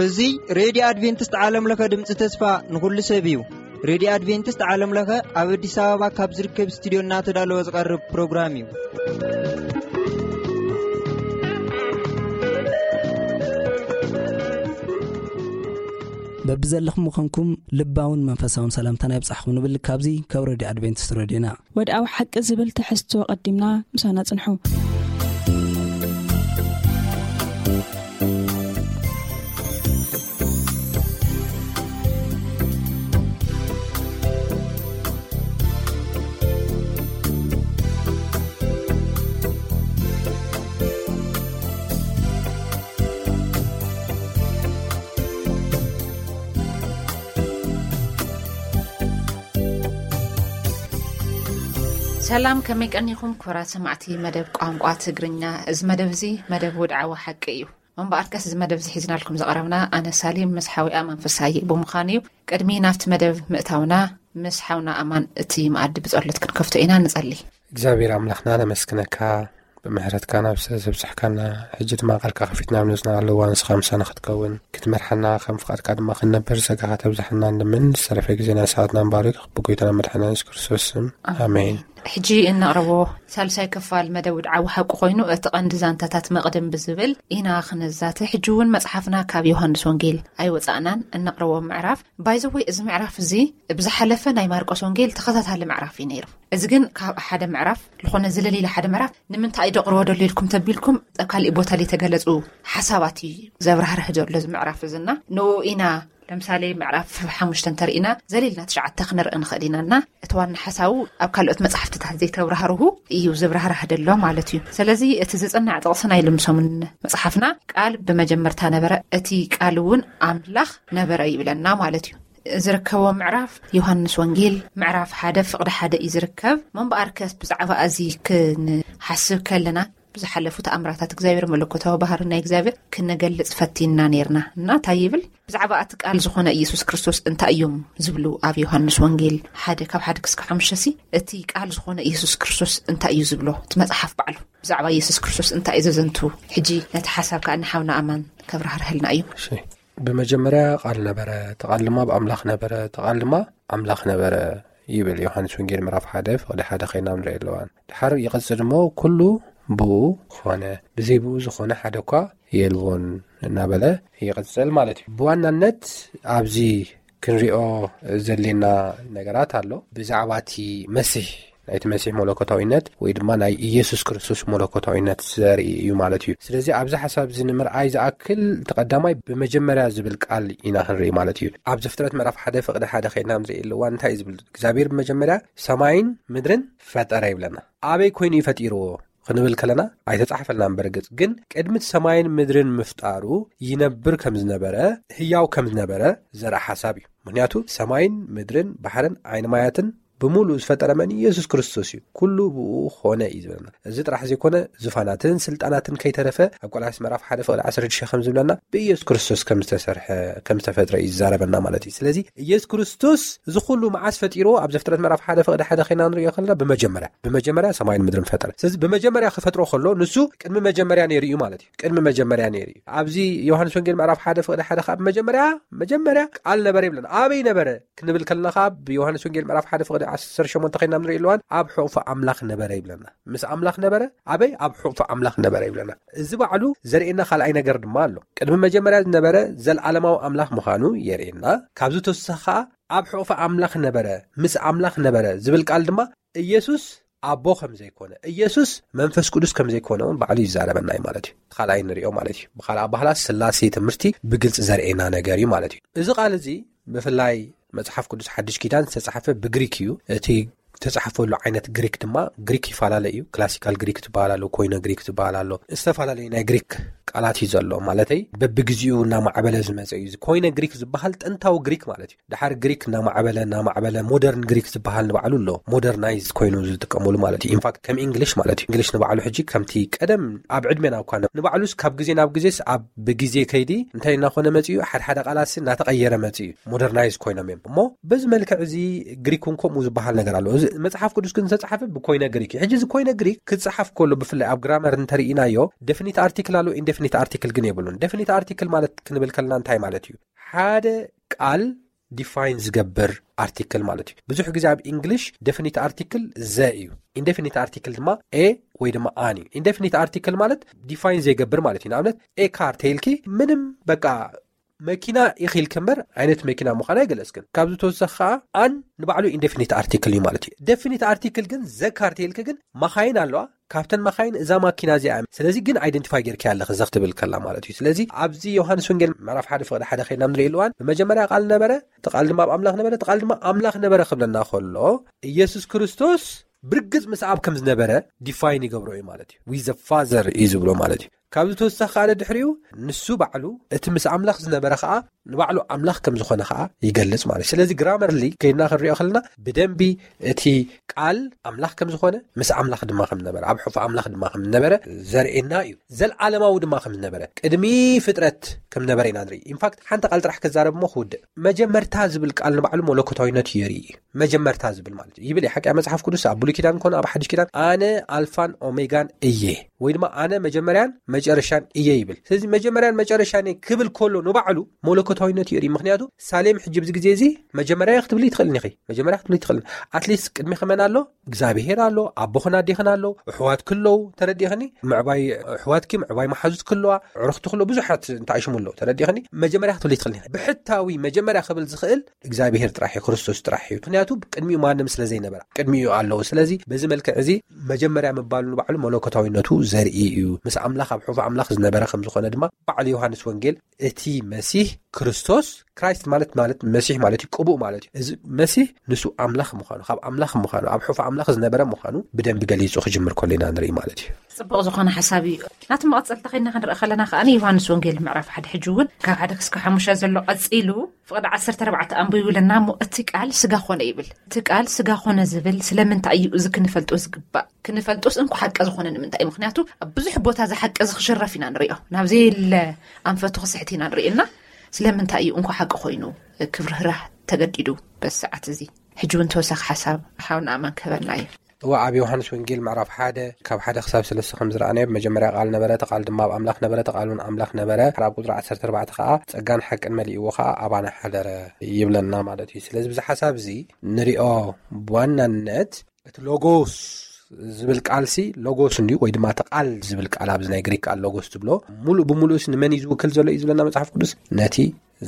እዚ ሬድዮ ኣድቬንቲስት ዓለም ለኸ ድምፂ ተስፋ ንኹሉ ሰብ እዩ። ሬድዮ ኣድቬንቲስት ዓለም ለኸ ኣብ ኣዲስ ኣበባ ካብ ዝርከብ ስቱዲዮ እናተዳለወ ዝቐርብ ፕሮግራም እዩ። በብዘለኹም ምዃንኩም ልባውን መንፈሳውን ሰላምታና ይብጻሕኹም ንብል ካብዚ ካብ ሬድዮ ኣድቬንቲስት ሬድዮና። ወድኣዊ ሓቂ ዝብል ትሕዝቶ ቀዲምና ምሳና ጽንሑ። ሰላም፣ ከመይ ቀኒኹም ክቡራት ሰማዕቲ መደብ ቋንቋ ትግርኛ? እዚ መደብ እዚ መደብ ውድዓዊ ሓቂ እዩ። እምበኣርከስ እዚ መደብ እዚ ሒዝናልኩም ዝቐረብና ኣነ ሳሌም ምስ ሓዊኣ መንፈሳይ ብምዃን እዩ። ቅድሚ ናብቲ መደብ ምእታውና ምስ ሓውና ኣማን እቲ መኣዲ ብጸሎት ክንከፍቶ ኢና። ንጸሊ። እግዚኣብሔር ኣምላኽና ነመስግነካ፣ ብምሕረትካ ናብ ስለ ዘብጽሕካና። ሕጂ ድማ ቃልካ ከፊትና ኣብ ነዝና ኣለዋ ንስኻ ምሳና ክትከውን ክትመርሓና ከም ፍቓድካ ድማ ክንነብር ጸጋኻ ተብዛሓና እንድምን ዝተረፈ ግዜና ሰዓትና ንባርክ ብጎይታና መድሓና የሱስ ክርስቶስ ስም። ኣሜን። ሕጂ እነቕርቦ ሳልሳይ ክፋል መደብ ውድዓዊ ሓቂ ኮይኑ፣ እቲ ቀንዲ ዛንታታት መቕድም ብዝብል ኢና ክንዛተ። ሕጂ እውን መጽሓፍና ካብ ዮሃንስ ወንጌል ኣይወጻእናን። እነቕርቦ ምዕራፍ፣ ባይዘወይ፣ እዚ ምዕራፍ እዚ ብዝሓለፈ ናይ ማርቆስ ወንጌል ተኸታታሊ ምዕራፍ እዩ ነይሩ። እዚ ግን ካብ ሓደ ምዕራፍ ዝኾነ ዝለል ኢለ ሓደ ምዕራፍ ንምንታይ ደቕርቦ ደሎ ኢልኩም ተቢልኩም ኣብ ካሊእ ቦታ ዘይተገለጹ ሓሳባት እዩ ዘብራህርህ ዘሎ እዚ ምዕራፍ እዝና። ንኡ ኢና ለምሳሌ ምዕራፍ ሓሙሽተ እንተርኢና ዘሊልና ትሽዓተ ክንርኢ ንኽእል ኢና እና እቲ ዋና ሓሳቡ ኣብ ካልኦት መጽሓፍትታት ዘይተብራህርሁ እዩ ዝብራህራህ ደሎ ማለት እዩ። ስለዚ እቲ ዝጽናዕ ጥቕሲ ናይ ልምሶምን መጽሓፍና ቃል ብመጀመርታ ነበረ፣ እቲ ቃል እውን ኣምላኽ ነበረ ይብለና ማለት እዩ። ዝርከቦ ምዕራፍ ዮሃንስ ወንጌል ምዕራፍ ሓደ ፍቕዲ ሓደ እዩ ዝርከብ። መንበኣርከስ ብዛዕባ እዚ ክንሓስብ ከለና ብዝሓለፉ ተኣምራታት እግዚኣብሔር መለኮታዊ ባህሪ ናይ እግዚኣብሔር ክንገልጽ ፈቲንና ነይርና እና እንታይ ይብል? ብዛዕባ እቲ ቃል ዝኾነ ኢየሱስ ክርስቶስ እንታይ እዮም ዝብሉ? ኣብ ዮሃንስ ወንጌል ሓደ ካብ ሓደ ክስካ ሓሙሽተ ሲ እቲ ቃል ዝኾነ ኢየሱስ ክርስቶስ እንታይ እዩ ዝብሎ? እቲ መጽሓፍ ባዕሉ ብዛዕባ ኢየሱስ ክርስቶስ እንታይ እዩ ዘዘንቱ? ሕጂ ነቲ ሓሳብ ከኣ ንሓውና ኣማን ከብራህርህልና እዩ። እሺ። ብመጀመርያ ቃል ነበረ፣ እቲ ቃል ድማ ብኣምላኽ ነበረ፣ እቲ ቃል ድማ ኣምላኽ ነበረ ይብል ዮሃንስ ወንጌል ምዕራፍ ሓደ ፍቕዲ ሓደ ኸይና ንርኢ ኣለዋን። ድሓር ይቐጽል እሞ ኩሉ ብኡ ኾነ፣ ብዘይ ብኡ ዝኾነ ሓደ እኳ የልቦን እናበለ ይቐጽል ማለት እዩ። ብዋናነት ኣብዚ ክንሪኦ ዘሌና ነገራት ኣሎ። ብዛዕባ እቲ መሲሕ፣ ናይቲ መሲሕ መለኮታዊነት ወይ ድማ ናይ ኢየሱስ ክርስቶስ መለኮታዊነት ዘርኢ እዩ ማለት እዩ። ስለዚ ኣብዚ ሓሳብ እዚ ንምርኣይ ዝኣክል እቲ ቀዳማይ ብመጀመርያ ዝብል ቃል ኢና ክንርኢ ማለት እዩ። ኣብ ዘፍጥረት ምዕራፍ ሓደ ፍቕዲ ሓደ ኸይና ንርኢ ኣለዋ እንታይ እዩ ዝብል? እግዚኣብሔር ብመጀመርያ ሰማይን ምድርን ፈጠረ ይብለና። ኣበይ ኮይኑ እዩ ፈጢርዎ? ክንብል ከለና ኣይተጻሕፈልናን። በርግጽ ግን ቅድሚ ሰማይን ምድርን ምፍጣሩ ይነብር ከም ዝነበረ፣ ህያው ከም ዝነበረ ዘርኢ ሓሳብ እዩ። ምኽንያቱ ሰማይን ምድርን ባሕርን ዓይኒ ማያትን ብምሉእ ዝፈጠረ መን? ኢየሱስ ክርስቶስ እዩ። ኩሉ ብኡ ኾነ እዩ ዝብለና። እዚ ጥራሕ ዘይኮነ፣ ዙፋናትን ስልጣናትን ከይተረፈ ኣብ ቆላስይስ ምዕራፍ ሓደ ፍቕዲ ዓሰርተ ሽዱሽተ ከም ዝብለና ብኢየሱስ ክርስቶስ ከም ዝተሰርሐ፣ ከም ዝተፈጥረ እዩ ዝዛረበና ማለት እዩ። ስለዚ ኢየሱስ ክርስቶስ እዚ ኩሉ መዓስ ፈጢርዎ? ኣብ ዘፍጥረት ምዕራፍ ሓደ ፍቕዲ ሓደ ኸይና ንሪኦ ከለና ብመጀመርያ፣ ብመጀመርያ ሰማይን ምድርን ፈጠረ። ስለዚ ብመጀመርያ ክፈጥሮ ከሎ ንሱ ቅድሚ መጀመርያ ነይሩ እዩ ማለት እዩ። ቅድሚ መጀመርያ ነይሩ እዩ። ኣብዚ ዮሃንስ ወንጌል ምዕራፍ ሓደ ፍቕዲ ሓደ ከዓ ብመጀመርያ፣ መጀመርያ ቃል ነበረ ይብለና። ኣበይ ነበረ? ክንብል ከለና ከዓ ብዮሃንስ ወንጌል ምዕራፍ ሓደ ፍቕዲ ዓሰርተ ሸሞንተ ኸይና ንርኢ ኣለዋን ኣብ ሕቑፊ ኣምላኽ ነበረ ይብለና። ምስ ኣምላኽ ነበረ። ኣበይ? ኣብ ሕቑፊ ኣምላኽ ነበረ ይብለና። እዚ ባዕሉ ዘርእየና ካልኣይ ነገር ድማ ኣሎ። ቅድሚ መጀመርያ ዝነበረ ዘልዓለማዊ ኣምላኽ ምዃኑ የርእየና። ካብዚ ተወሳኺ ከዓ ኣብ ሕቑፊ ኣምላኽ ነበረ፣ ምስ ኣምላኽ ነበረ ዝብል ቃል ድማ ኢየሱስ ኣቦ ከም ዘይኮነ፣ ኢየሱስ መንፈስ ቅዱስ ከም ዘይኮነ እውን ባዕሉ ይዛረበና እዩ ማለት እዩ። እቲ ካልኣይ ንሪኦ ማለት እዩ። ብኻልእ ኣባህላ ስላሴ ትምህርቲ ብግልፂ ዘርእየና ነገር እዩ ማለት እዩ። እዚ ቃል እዚ ብፍላይ መጽሓፍ ቅዱስ ሓድሽ ኪዳን ዝተጻሕፈ ብግሪክ እዩ። እቲ ዝተጻሕፈሉ ዓይነት ግሪክ ድማ ግሪክ ይፈላለ እዩ። ክላሲካል ግሪክ ዝበሃል ኣሎ፣ ኮይነ ግሪክ ዝበሃል ኣሎ። ዝተፈላለዩ ናይ ግሪክ ቃላት እዩ ዘሎ። ማለተይ በብግዜኡ እናማዕበለ ዝመፀ እዩ። ኮይነ ግሪክ ዝበሃል ጥንታዊ ግሪክ ማለት እዩ። ድሓር ግሪክ እናማዕበለ እናማዕበለ ሞደርን ግሪክ ዝበሃል ንባዕሉ ኣሎ። ሞደርናይዝ ኮይኑ ዝጥቀመሉ ማለት እዩ። ኢንፋክት ከም ኢንግሊሽ ማለት እዩ። ኢንግሊሽ ንባዕሉ ሕጂ ከምቲ ቀደም ኣብ ዕድሜና እኳ ንባዕሉስ ካብ ግዜ ናብ ግዜስ ኣብ ብግዜ ከይዲ እንታይ እናኾነ መፂኡ፣ ሓደ ሓደ ቃላትስ እናተቐየረ መፂኡ፣ ሞደርናይዝ ኮይኖም እዮም። እሞ በዚ መልክዕ እዚ ግሪክ እውን ከምኡ ዝበሃል ነገር ኣሎ። እዚ መጽሓፍ ቅዱስ ግን ዝተጻሓፈ ብኮይነ ግሪክ እዩ። ሕጂ እዚ ኮይነ ግሪክ ክጽሓፍ ከሎ ብፍላይ ኣብ ግራመር እንተርኢናዮ ደፊኒት ኣርቲክል ኣሎ፣ ኢንደፊኒት ኣርቲክል ግን የብሉን። ደፊኒት ኣርቲክል ማለት ክንብል ከለና እንታይ ማለት እዩ? ሓደ ቃል ዲፋይን ዝገብር ኣርቲክል ማለት እዩ። ብዙሕ ግዜ ኣብ ኢንግሊሽ ደፊኒት ኣርቲክል ዘ እዩ። ኢንደፊኒት ኣርቲክል ድማ ኤ ወይ ድማ ኣን እዩ። ኢንደፊኒት ኣርቲክል ማለት ዲፋይን ዘይገብር ማለት እዩ። ንኣብነት ኤ ካር ተይልኪ ምንም በቃ መኪና ኢኺልኪ እምበር ዓይነት መኪና ምዃን ኣይገለጽክን። ካብዚ ተወሳኺ ከዓ ኣን ንባዕሉ ኢንደፊኒት ኣርቲክል እዩ ማለት እዩ። ደፊኒት ኣርቲክል ግን ዘ ካር ተይልኪ ግን መኻይን ኣለዋ። ካብተን መኻይን እዛ ማኪና እዚኣ እያ። ስለዚ ግን ኣይደንቲፋይ ጌርኪ ኣለኺ ዘኽትብል ከላ ማለት እዩ። ስለዚ ኣብዚ ዮሃንስ ወንጌል ምዕራፍ ሓደ ፍቕዲ ሓደ ኸይድና ንርኢ ኣለዋን ብመጀመርያ ቃል ነበረ፣ እቲ ቃል ድማ ኣብ ኣምላኽ ነበረ፣ እቲ ቃል ድማ ኣምላኽ ነበረ ክብለና ከሎ ኢየሱስ ክርስቶስ ብርግጽ ምስ ኣብ ከም ዝነበረ ዲፋይን ይገብሮ እዩ ማለት እዩ። ዊዘ ፋዘር እዩ ዝብሎ ማለት እዩ። ካብዚ ተወሳኺ ካለ ድሕሪኡ ንሱ ባዕሉ እቲ ምስ ኣምላኽ ዝነበረ ከዓ ንባዕሉ ኣምላኽ ከም ዝኾነ ከዓ ይገልጽ ማለት እዩ። ስለዚ ግራመርሊ ከይድና ክንሪኦ ከለና ብደንቢ እቲ ቃል ኣምላኽ ከም ዝኾነ ምስ ኣምላኽ ድማ ከም ዝነበረ ኣብ ሕፉ ኣምላኽ ድማ ከም ዝነበረ ዘርእየና እዩ። ዘልዓለማዊ ድማ ከም ዝነበረ ቅድሚ ፍጥረት ከም ዝነበረ ኢና ንርኢ። ኢንፋክት ሓንቲ ቃል ጥራሕ ክዛረብ እሞ ክውድእ መጀመርታ ዝብል ቃል ንባዕሉ መለኮታዊነት የርኢ። መጀመርታ ዝብል ማለት እዩ ይብል ሓቂ መጽሓፍ ቅዱስ ኣብ ብሉይ ኪዳን ኮነ ኣብ ሓድሽ ኪዳን ኣነ ኣልፋን ኦሜጋን እየ ወይ ድማ ኣነ መጀመርያን መጨረሻን እየ ይብል። ስለዚ መጀመርያን መጨረሻን እየ ክብል ከሎ ንባዕሉ መለኮታዊነት የርኢ። ምክንያቱ ሳሌም ሕጂ ብዚ ግዜ እዚ መጀመርያ ክትብሊ ትኽእልኒ ኢኺ። መጀመርያ ክትብሊ ትኽእልኒ። ኣትሊስት ቅድሚ ከመን ኣሎ እግዚኣብሄር ኣሎ፣ ኣቦኽን ኣዴኽን ኣሎ፣ ኣሕዋትኪ ኣለዉ። ተረዲእኽኒ? ምዕባይ ኣሕዋትኪ፣ ምዕባይ መሓዙትኪ ኣለዋ፣ ኣዕሩኽቲ ክሎ ብዙሓት እንታይ ሽሙ ኣለዉ። ተረዲእኽኒ? መጀመርያ ክትብሊ ትኽእልኒ ኢኺ። ብሕታዊ መጀመርያ ክብል ዝኽእል እግዚኣብሄር ጥራሕ እዩ፣ ክርስቶስ ጥራሕ እዩ። ምክንያቱ ቅድሚኡ ማንም ስለ ዘይነበረ ቅድሚኡ ኣለዉ። ስለዚ በዚ መልክዕ እዚ መጀመርያ ምባሉ ንባዕሉ መለኮታዊነቱ ዘርኢ እዩ። ምስ ኣምላኽ ኣብ ሕፉ ኣምላኽ ዝነበረ ከም ዝኾነ ድማ ባዕሉ ዮሃንስ ወንጌል እቲ መሲህ ክርስቶስ ክራይስት ማለት ማለት መሲሕ ማለት እዩ፣ ቅቡእ ማለት እዩ። እዚ መሲህ ንሱ ኣምላኽ ምዃኑ፣ ካብ ኣምላኽ ምዃኑ፣ ኣብ ሕፉ ኣምላኽ ዝነበረ ምዃኑ ብደንቢ ገሊጹ ክጅምር ከሎ ኢና ንርኢ ማለት እዩ። ጽቡቕ ዝኾነ ሓሳብ እዩ። ናቲ መቐጸልታ ኸይድና ክንርኢ ከለና ከኣ ዮሃንስ ወንጌል ምዕራፍ ሓደ ሕጂ እውን ካብ ሓደ ክስካ ሓሙሽተ ዘሎ ቀጺሉ ፍቕዲ ዓሰርተ ኣርባዕተ ኣንብቡ ይብለና እሞ እቲ ቃል ስጋ ኾነ ይብል። እቲ ቃል ስጋ ኾነ ዝብል ስለምንታይ እዩ? እዚ ክንፈልጦ ዝግባእ። ክንፈልጦስ እንኳ ሓቂ ዝኾነ ንምንታይ እዩ? ምክንያቱ ኣብ ብዙሕ ቦታ እዚ ሓቂ እዚ ክሽረፍ ኢና ንሪኦ። ናብ ዘየለ ኣንፈቱ ክስሕት ኢና ንሪኦ እና ስለምንታይ እዩ እንኳ ሓቂ ኮይኑ ክብርህራህ ተገዲዱ በዚ ሰዓት እዚ? ሕጂ እውን ተወሳኺ ሓሳብ ሓውና ኣማን ክህበና እዩ። እዋ ኣብ ዮሃንስ ወንጌል ምዕራፍ ሓደ ካብ ሓደ ክሳብ ሰለስተ ከም ዝረኣናዮ ብመጀመርያ ቃል ነበረ፣ እቲ ቃል ድማ ኣብ ኣምላኽ ነበረ፣ እቲ ቃል እውን ኣምላኽ ነበረ። ኣብ ቁፅሪ ዓሰርተ ኣርባዕተ ከዓ ጸጋን ሓቅን መሊእዎ ከዓ ኣባና ሓደረ ይብለና ማለት እዩ። ስለዚ ብዚ ሓሳብ እዚ ንሪኦ ብዋናነት እቲ ሎጎስ ዝብል ቃልሲ ሎጎስ እንድዩ ወይ ድማ እቲ ቃል ዝብል ቃል ኣብዚ ናይ ግሪክ ቃል ሎጎስ ትብሎ ሙሉእ ብሙሉእስ ንመን እዩ ዝውክል ዘሎ እዩ ዝብለና መጽሓፍ ቅዱስ? ነቲ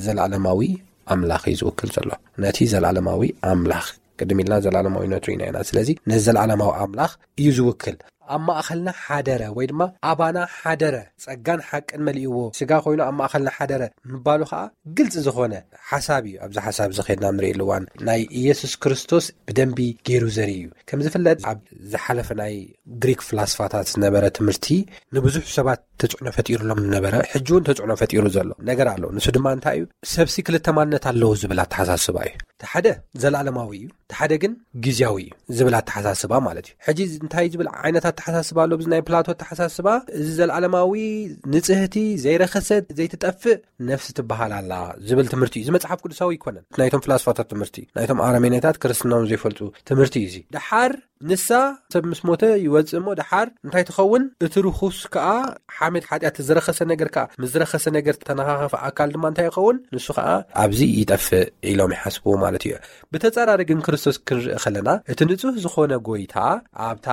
ዘለዓለማዊ ኣምላኽ እዩ ዝውክል ዘሎ። ነቲ ዘለዓለማዊ ኣምላኽ ቅድም ኢልና ዘለዓለማዊነቱ ኢና ኢና። ስለዚ ነዚ ዘለዓለማዊ ኣምላኽ እዩ ዝውክል። ኣብ ማእኸልና ሓደረ ወይ ድማ ኣባና ሓደረ፣ ጸጋን ሓቅን መሊእዎ ስጋ ኮይኑ ኣብ ማእኸልና ሓደረ ምባሉ ከዓ ግልፂ ዝኾነ ሓሳብ እዩ። ኣብዚ ሓሳብ እዚ ኸድና ንርኢ ልዋን ናይ ኢየሱስ ክርስቶስ ብደንቢ ገይሩ ዘርኢ እዩ። ከም ዝፍለጥ ኣብ ዝሓለፈ ናይ ግሪክ ፍላስፋታት ዝነበረ ትምህርቲ ንብዙሕ ሰባት ተጽዕኖ ፈጢሩሎም ዝነበረ ሕጂ እውን ተጽዕኖ ፈጢሩ ዘሎ ነገር ኣሎ። ንሱ ድማ እንታይ እዩ? ሰብሲ ክልተ ማንነት ኣለዎ ዝብል ኣተሓሳስባ እዩ። እቲ ሓደ ዘለኣለማዊ እዩ፣ እቲ ሓደ ግን ግዜያዊ እዩ ዝብል ኣተሓሳስባ ማለት እዩ። ሕጂ እንታይ ዝብል ዓይነት ኣተሓሳስባ ኣሎ? ብዚ ናይ ፕላቶ ኣተሓሳስባ እዚ ዘለኣለማዊ ንጽህቲ ዘይረኸሰት ዘይትጠፍእ ነፍሲ ትበሃል ኣላ ዝብል ትምህርቲ እዩ። እዚ መጽሓፍ ቅዱሳዊ ኣይኮነን። ናይቶም ፍላስፋታት ትምህርቲ፣ ናይቶም ኣረሜኔታት ክርስትናውን ዘይፈልጡ ትምህርቲ እዩ። እዚ ደሓር ንሳ ሰብ ምስ ሞተ ይወጽእ እሞ ደሓር እንታይ ትኸውን? እቲ ርኹስ ከኣ ሓሜት ሓጢኣት ዝረኸሰ ነገር ከኣ ምስ ዝረኸሰ ነገር ተነኻኸፈ ኣካል ድማ እንታይ ይኸውን? ንሱ ከኣ ኣብዚ ይጠፍእ ኢሎም ይሓስብዎ ማለት እዩ። ብተጻራሪ ግን ክርስቶስ ክንርኢ ከለና እቲ ንጹህ ዝኾነ ጎይታ ኣብታ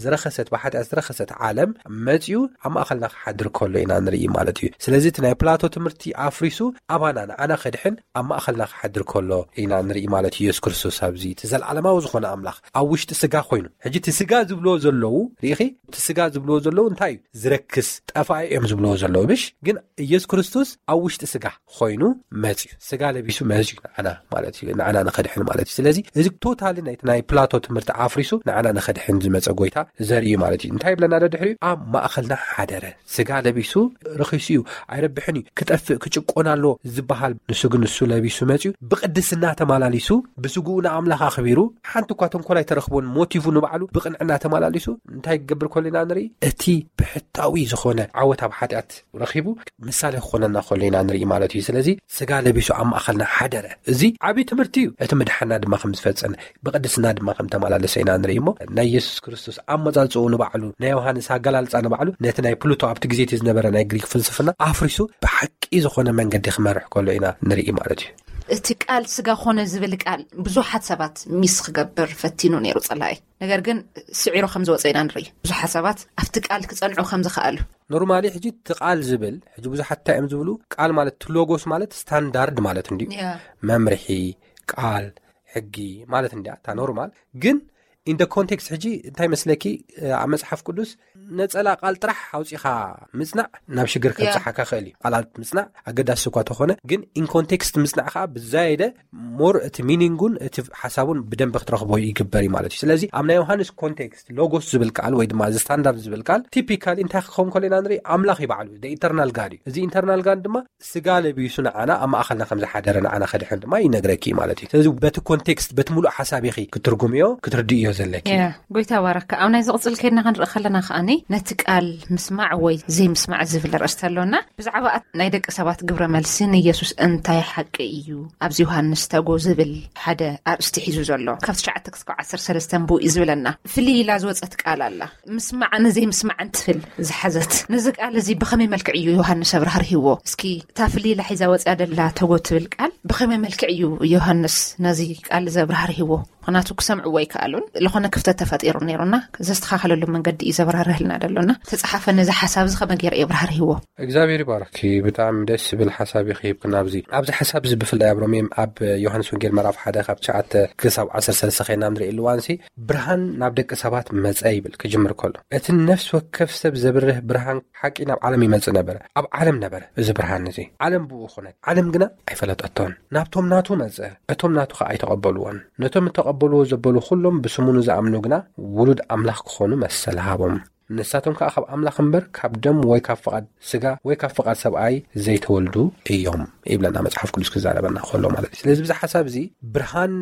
ዝረኸሰት ብሓጢኣት ዝረኸሰት ዓለም መጺኡ ኣብ ማእኸልና ክሓድር ከሎ ኢና ንርኢ ማለት እዩ። ስለዚ እቲ ናይ ፕላቶ ትምህርቲ ኣፍሪሱ ኣባና ንዓና ከድሕን ኣብ ማእኸልና ክሓድር ከሎ ኢና ንርኢ ማለት እዩ። ኢየሱስ ክርስቶስ ኣብዚ እቲ ዘለዓለማዊ ዝኾነ ኣምላኽ ኣብ ውሽጢ ስጋ ኮይኑ ሕጂ እቲ ስጋ ዝብልዎ ዘለዉ ርኢኺ፣ እቲ ስጋ ዝብልዎ ዘለዉ እንታይ እዩ? ዝረክስ ጠፋኢ እዮም ዝብልዎ ዘለዉ። ብሽ ግን ኢየሱስ ክርስቶስ ኣብ ውሽጢ ስጋ ኮይኑ መጽዩ፣ ስጋ ለቢሱ መጽዩ ንዓና ማለት እዩ፣ ንዓና ንኸድሕን ማለት እዩ። ስለዚ እዚ ቶታሊ ናይቲ ናይ ፕላቶ ትምህርቲ ኣፍሪሱ ንዓና ንኸድሕን ዝመጸ ጎይታ ዘርኢ እዩ ማለት እዩ። እንታይ ይብለና ዶ ድሕሪኡ? ኣብ ማእኸልና ሓደረ፣ ስጋ ለቢሱ። ረኺሱ እዩ፣ ኣይረብሕን እዩ፣ ክጠፍእ ክጭቆን ኣለዎ ዝበሃል፣ ንሱ ግን ንሱ ለቢሱ መጽዩ፣ ብቅድስና ተማላሊሱ፣ ብስግኡ ንኣምላኽ ኣኽቢሩ፣ ሓንቲ እኳ ተንኮል ኣይተረኽቦን። ሞቲቭ ንባዕሉ ብቅንዕና ተማላሊሱ እንታይ ክገብር ከሎ ኢና ንርኢ? እቲ ብሕታዊ ዝኾነ ዓወት ኣብ ሓጢኣት ረኺቡ ምሳሌ ክኾነና ከሎ ኢና ንርኢ ማለት እዩ። ስለዚ ስጋ ለቢሱ ኣብ ማእኸልና ሓደረ። እዚ ዓብዪ ትምህርቲ እዩ። እቲ ምድሓና ድማ ከም ዝፈጸመ፣ ብቅድስና ድማ ከም ተመላለሰ ኢና ንርኢ። እሞ ናይ የሱስ ክርስቶስ ኣመጻጽኡ ንባዕሉ፣ ናይ ዮሃንስ ኣገላልጻ ንባዕሉ ነቲ ናይ ፕሉቶ ኣብቲ ግዜ እቲ ዝነበረ ናይ ግሪክ ፍልስፍና ኣፍሪሱ ብሓቂ ዝኾነ መንገዲ ክመርሕ ከሎ ኢና ንርኢ ማለት እዩ። እቲ ቃል ስጋ ኾነ ዝብል ቃል ብዙሓት ሰባት ሚስ ክገብር ፈቲኑ ነይሩ ጸላኢ። ነገር ግን ስዒሩ ከም ዝወጸ ኢና ንርኢ። ብዙሓት ሰባት ኣብቲ ቃል ክጸንዑ ከም ዝኸኣሉ። ኖርማሊ ሕጂ እቲ ቃል ዝብል፣ ሕጂ ብዙሓት እንታይ እዮም ዝብሉ? ቃል ማለት እቲ ሎጎስ ማለት ስታንዳርድ ማለት እንድዩ። መምርሒ፣ ቃል፣ ሕጊ ማለት እንድያ እታ ኖርማል። ግን ኢን ደ ኮንቴክስት ሕጂ እንታይ መስለኪ? ኣብ መጽሓፍ ቅዱስ ነጸላ ቃል ጥራሕ ኣውጺኻ ምጽናዕ ናብ ሽግር ከብጽሓካ ክእል እዩ። ቃላት ምጽናዕ ኣገዳሲ እኳ ተኾነ፣ ግን ኢን ኮንቴክስት ምጽናዕ ከዓ ብዛየደ ሞር እቲ ሚኒንጉን እቲ ሓሳቡን ብደንብ ክትረኽቦ ይግበር እዩ ማለት እዩ። ስለዚ ኣብ ናይ ዮሃንስ ኮንቴክስት ሎጎስ ዝብል ቃል ወይ ድማ እዚ ስታንዳርድ ዝብል ቃል ቲፒካሊ እንታይ ክኸውን ከሎ ኢና ንርኢ? ኣምላኽ እዩ ባዕሉ፣ ኢተርናል ጋድ እዩ። እዚ ኢተርናል ጋድ ድማ ስጋ ለቢሱ ንዓና ኣብ ማእኸልና ከም ዝሓደረ፣ ንዓና ከድሕን ድማ ይነግረኪ ማለት እዩ። ስለዚ በቲ ኮንቴክስት፣ በቲ ሙሉእ ሓሳብ ኢኺ ክትርጉምዮ፣ ክትርድእዮ ዘለኪ። ጎይታ ባረካ። ኣብ ናይ ዝቕጽል ከይድና ክንርኢ ከለና ከኣኒ ነቲ ቃል ምስማዕ ወይ ዘይምስማዕ ዝብል ርእስቲ ኣሎና። ብዛዕባ ናይ ደቂ ሰባት ግብረ መልሲ ንየሱስ እንታይ ሓቂ እዩ ኣብዚ ዮሃንስ ተጎ ዝብል ሓደ ኣርእስቲ ሒዙ ዘሎ፣ ካብ ትሽዓተ ክስካብ ዓሰርተ ሰለስተ ብኡ እዩ ዝብለና። ፍልይ ኢላ ዝወጸት ቃል ኣላ። ምስማዕን ዘይምስማዕን ትብል ዝሓዘት። ነዚ ቃል እዚ ብኸመይ መልክዕ እዩ ዮሃንስ ኣብርሃርሂዎ? እስኪ እታ ፍልይ ኢላ ሒዛ ወጽያ ደላ ተጎ ትብል ቃል ብኸመይ መልክዕ እዩ ዮሃንስ ነዚ ቃል እዚ ኣብርሃርሂዎ? ምኽንያቱ ክሰምዕዎ ኣይከኣሉን። ዝኾነ ክፍተት ተፈጢሩ ነይሩና፣ ዘስተኻኸለሉ መንገዲ እዩ ዘብራርህልና ደሎና። ተጸሓፈ ነዚ ሓሳብ እዚ ከመይ ገይሩ የብራህርህዎ? እግዚኣብሔር ይባርኪ። ብጣዕሚ ደስ ዝብል ሓሳብ እዩ ክሂብክና ኣብዚ። ኣብዚ ሓሳብ እዚ ብፍላይ ኣብ ሮሜ፣ ኣብ ዮሃንስ ወንጌል ምዕራፍ ሓደ ካብ ትሽዓተ ክሳብ ዓሰርተ ሰለስተ ኸይና ንርኢ እዋንሲ፣ ብርሃን ናብ ደቂ ሰባት መጸ ይብል ክጅምር ከሎ። እቲ ነፍሲ ወከፍ ሰብ ዘብርህ ብርሃን ሓቂ ናብ ዓለም ይመጽእ ነበረ። ኣብ ዓለም ነበረ እዚ ብርሃን እዚ። ዓለም ብኡ ኾነት። ዓለም ግና ኣይፈለጠቶን። ናብቶም ናቱ መጸ። እቶም ናቱ ኸኣ ኣይተቐበልዎን። ነቶም እተቐበልዎ ዘበሉ ኹሎም ብስሙ ንዝኣምኑ ግና ውሉድ ኣምላኽ ክኾኑ መሰል ሃቦም። ንሳቶም ከኣ ካብ ኣምላኽ እምበር ካብ ደም ወይ ካብ ፍቓድ ስጋ ወይ ካብ ፍቓድ ሰብኣይ ዘይተወልዱ እዮም ይብለና መጽሓፍ ቅዱስ ክዛረበና ከሎ ማለት እዩ። ስለዚ ብዚ ሓሳብ እዚ ብርሃን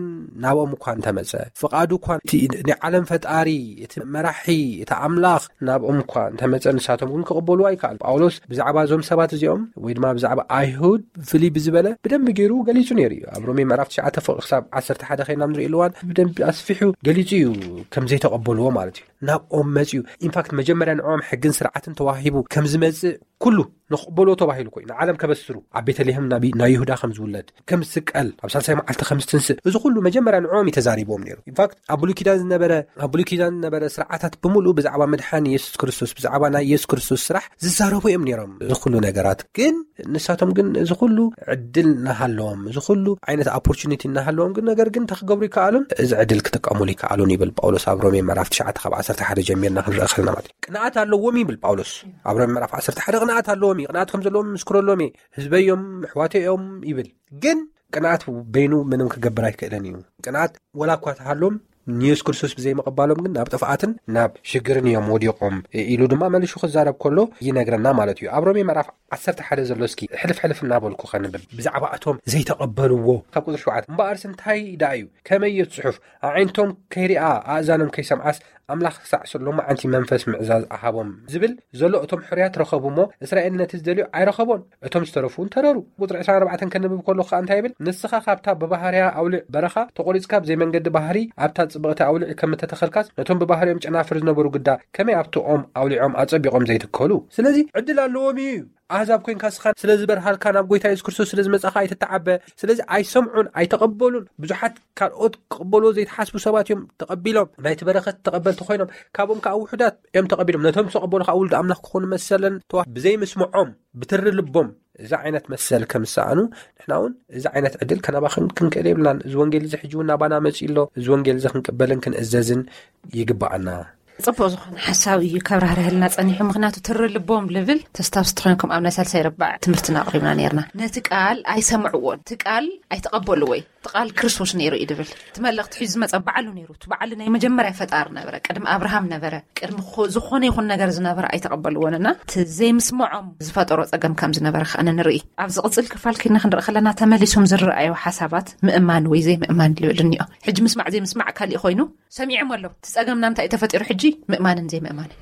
ናብኦም እኳ እንተመጸ፣ ፍቓዱ እኳ እቲ ናይ ዓለም ፈጣሪ፣ እቲ መራሒ፣ እቲ ኣምላኽ ናብኦም እኳ እንተመጸ ንሳቶም እውን ክቕበሉ ኣይከኣሉ። ጳውሎስ ብዛዕባ እዞም ሰባት እዚኦም ወይ ድማ ብዛዕባ ኣይሁድ ፍልይ ብዝበለ ብደንቢ ገይሩ ገሊጹ ነይሩ እዩ። ኣብ ሮሜ ምዕራፍ ትሽዓተ ፍቕ ክሳብ ዓሰርተ ሓደ ኸይና ንርኢ እዋን ብደንቢ ኣስፊሑ ገሊጹ እዩ ከም ዘይተቐበልዎ ማለት እዩ። ናብኦም መጽዩ። ኢንፋክት መጀመርያ ንዕኦም ሕግን ስርዓትን ተዋሂቡ ከም ዝመጽእ ኩሉ ንኽቕበልዎ ተባሂሉ ኮይኑ ንዓለም ከበስሩ ኣብ ቤተልሔም ናብ ናይ ይሁዳ ከም ዝውለድ ከም ዝስቀል ኣብ ሳልሳይ መዓልቲ ከም ዝትንስእ እዚ ኩሉ መጀመርያ ንዕኦም እዩ ተዛሪብዎም ነይሩ። ኢንፋክት ኣብ ብሉይ ኪዳን ዝነበረ ኣብ ብሉይ ኪዳን ዝነበረ ስርዓታት ብምሉእ ብዛዕባ ምድሓን የሱስ ክርስቶስ ብዛዕባ ናይ የሱስ ክርስቶስ ስራሕ ዝዛረቡ እዮም ነይሮም። እዚ ኩሉ ነገራት ግን ንሳቶም ግን እዚ ኩሉ ዕድል እናሃለዎም፣ እዚ ኩሉ ዓይነት ኦፖርቹኒቲ እናሃለዎም ግን ነገር ግን እንታይ ክገብሩ ይከኣሉን? እዚ ዕድል ክጥቀሙሉ ይከኣሉን ይብል ጳውሎስ ኣብ ሮሜ ምዕራፍ ትሽዓተ ካብ ዓሰርተ ሓደ ጀሚርና ክንርኢ ከለና ማለት እዩ። ቅንኣት ኣለዎም ይብል ጳውሎስ ኣብ ሮሜ ምዕራፍ ዓሰርተ ሓደ። ቅንኣት ኣለዎም እዩ፣ ቅንኣት ከም ዘለዎም ምስክረሎም እየ፣ ህዝበይ እዮም፣ ኣሕዋተይ እዮም ይብል። ግን ቅንኣት በይኑ ምንም ክገብር ኣይክእልን እዩ። ቅንኣት ወላ እኳ ተሃሎም ንየሱስ ክርስቶስ ብዘይምቕባሎም ግን ናብ ጥፍኣትን ናብ ሽግርን እዮም ወዲቖም ኢሉ ድማ መሊሹ ክዛረብ ከሎ ይነግረና ማለት እዩ። ኣብ ሮሜ ምዕራፍ ዓሰርተ ሓደ ዘሎ እስኪ ሕልፍ ሕልፍ እናበልኩ ከንብብ። ብዛዕባ እቶም ዘይተቐበልዎ ካብ ቁጽሪ ሸውዓተ፣ እምበኣርስ እንታይ ደኣ እዩ? ከመይ እዩ እቲ ጽሑፍ? ኣዒንቶም ከይሪኣ ኣእዛኖም ከይሰምዓስ ኣምላኽ ክሳዕ ሎማዓንቲ መንፈስ ምእዛዝ ኣሃቦም ዝብል ዘሎ እቶም ሕሩያት ረኸቡ እሞ እስራኤል ነቲ ዝደልዮ ኣይረኸቦን። እቶም ዝተረፉ እውን ተረሩ። ቁጽሪ ዕስራን ኣርባዕተን ከንብብ ከለኹ ከኣ እንታይ ይብል? ንስኻ ካብታ ብባህርያ ኣውሊዕ በረኻ ተቖሪጽካ ብዘይ መንገዲ ባህሪ ኣብታ ጽብቕቲ ኣውሊዕ ከም እተተኸልካስ ነቶም ብባህሪኦም ጨናፍር ዝነበሩ ግዳ ከመይ ኣብቲ ኦም ኣውሊዖም ኣጸቢቖም ዘይትከሉ? ስለዚ ዕድል ኣለዎም እዩ። ኣህዛብ ኮይንካ ስኻ ስለ ዝበርሃልካ ናብ ጎይታ የሱስ ክርስቶስ ስለ ዝመጻኻ ኣይትተዓበ። ስለዚ ኣይሰምዑን ኣይተቐበሉን። ብዙሓት ካልኦት ክቕበልዎ ዘይተሓስቡ ሰባት እዮም ተቐቢሎም። ናይቲ በረኸት ተቐበልቲ ኮይኖም ካብኦም ከኣ ውሑዳት እዮም ተቐቢሎም። ነቶም ዝተቐበሉ ከኣ ውሉድ ኣምላኽ ክኾኑ መሰለን ተዋ ብዘይምስምዖም ብትሪ ልቦም እዚ ዓይነት መሰል ከም ዝሰኣኑ፣ ንሕና እውን እዚ ዓይነት ዕድል ከናባኽን ክንክእል የብልናን። እዚ ወንጌል እዚ ሕጂ እውን ናባና መጺኡ ኣሎ። እዚ ወንጌል እዚ ክንቅበልን ክንእዘዝን ይግባኣና። ጽቡቅ ዝኾነ ሓሳብ እዩ ከብራህርህልና ጸኒሑ። ምኽንያቱ ትሪ ልቦም ልብል ተስታውስቲ ኮይንኩም ኣብ ናይ ሳልሳይ ረባዕ ትምህርትና ኣቕሪብና ነርና። ነቲ ቃል ኣይሰምዕዎን፣ እቲ ቃል ኣይተቐበልዎ። እቲ ቃል ክርስቶስ ነይሩ እዩ ድብል። እቲ መልእኽቲ ሒዙ ዝመጸ ባዕሉ ነይሩ። እቲ ባዕሉ ናይ መጀመርያ ፈጣሪ ነበረ። ቅድሚ ኣብርሃም ነበረ። ቅድሚ ዝኾነ ይኹን ነገር ዝነበረ ኣይተቐበልዎንና እቲ ዘይምስምዖም ዝፈጠሮ ጸገም ከም ዝነበረ ከኣ ንርኢ። ኣብ ዝቕጽል ክፋል ኪድና ክንርኢ ከለና ተመሊሶም ዝረኣዩ ሓሳባት ምእማን ወይ ዘይምእማን ልብል እኒኦ። ሕጂ ምስማዕ ዘይምስማዕ ካሊእ ኮይኑ ሰሚዖም ኣለዉ። እቲ ጸገምና እንታይ እዩ ተፈጢሩ ሕጂ? ምእማንን ዘይምእማንን።